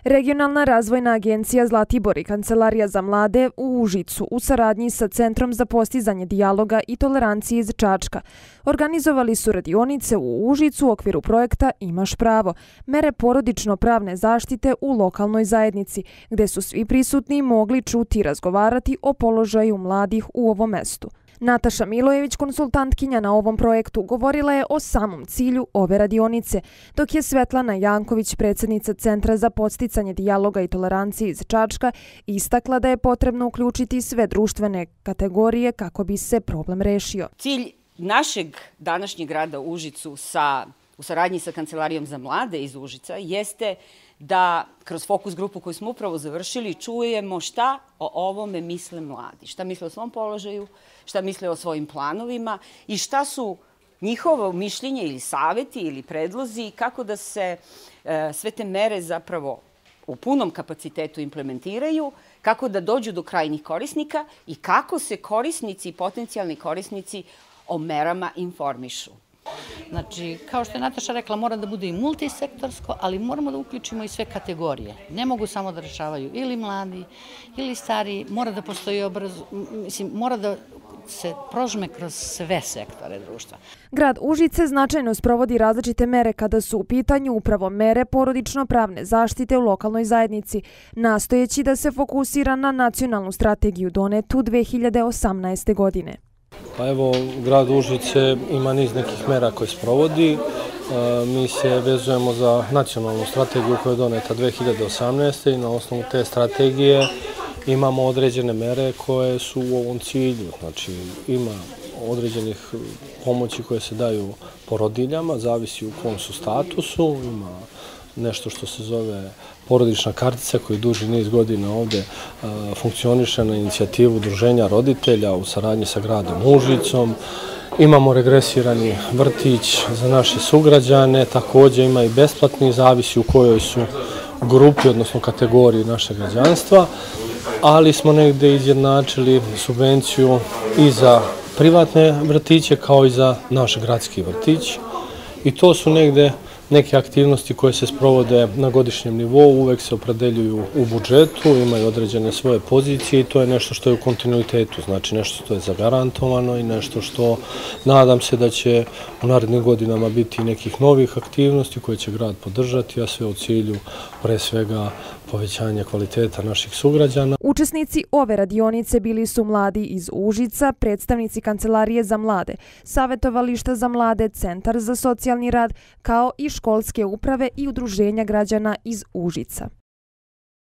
Regionalna razvojna agencija Zlatibor i Kancelarija za mlade u Užicu u saradnji sa Centrom za postizanje dijaloga i tolerancije iz Čačka organizovali su radionice u Užicu u okviru projekta Imaš pravo, mere porodično-pravne zaštite u lokalnoj zajednici, gde su svi prisutni mogli čuti i razgovarati o položaju mladih u ovom mestu. Nataša Milojević, konsultantkinja na ovom projektu, govorila je o samom cilju ove radionice, dok je Svetlana Janković, predsjednica Centra za podsticanje dijaloga i tolerancije iz Čačka, istakla da je potrebno uključiti sve društvene kategorije kako bi se problem rešio. Cilj našeg današnjeg rada u Užicu u saradnji sa Kancelarijom za mlade iz Užica jeste da kroz fokus grupu koju smo upravo završili čujemo šta o ovome misle mladi, šta misle o svom položaju, šta misle o svojim planovima i šta su njihovo mišljenje ili saveti ili predlozi kako da se sve te mere zapravo u punom kapacitetu implementiraju, kako da dođu do krajnjih korisnika i kako se korisnici i potencijalni korisnici o merama informišu. Znači, kao što je Nataša rekla, mora da bude i multisektorsko, ali moramo da uključimo i sve kategorije. Ne mogu samo da rešavaju ili mladi, ili stari, mora da postoji mora da se prožme kroz sve sektore društva. Grad Užice značajno sprovodi različite mere kada su u pitanju upravo mere porodično-pravne zaštite u lokalnoj zajednici, nastojeći da se fokusira na nacionalnu strategiju donetu 2018. godine. Pa evo, grad Užice ima niz nekih mera koje sprovodi. Mi se vezujemo za nacionalnu strategiju koja je doneta 2018. i na osnovu te strategije imamo određene mere koje su u ovom cilju. Znači, ima određenih pomoći koje se daju porodiljama, zavisi u kom su statusu, ima nešto što se zove porodična kartica koji duži niz godina ovde funkcioniše na inicijativu Udruženja roditelja u saradnji sa gradom Užicom. Imamo regresirani vrtić za naše sugrađane, također ima i besplatni, zavisi u kojoj su grupi, odnosno kategoriji našeg građanstva, ali smo negde izjednačili subvenciju i za privatne vrtiće kao i za naš gradski vrtić i to su negde neke aktivnosti koje se sprovode na godišnjem nivou, uvek se opredeljuju u budžetu, imaju određene svoje pozicije i to je nešto što je u kontinuitetu, znači nešto što je zagarantovano i nešto što nadam se da će u narednim godinama biti nekih novih aktivnosti koje će grad podržati, a sve u cilju pre svega povećanja kvaliteta naših sugrađana. Učesnici ove radionice bili su mladi iz Užica, predstavnici Kancelarije za mlade, Savetovališta za mlade, Centar za socijalni rad, kao i školske uprave i udruženja građana iz Užica.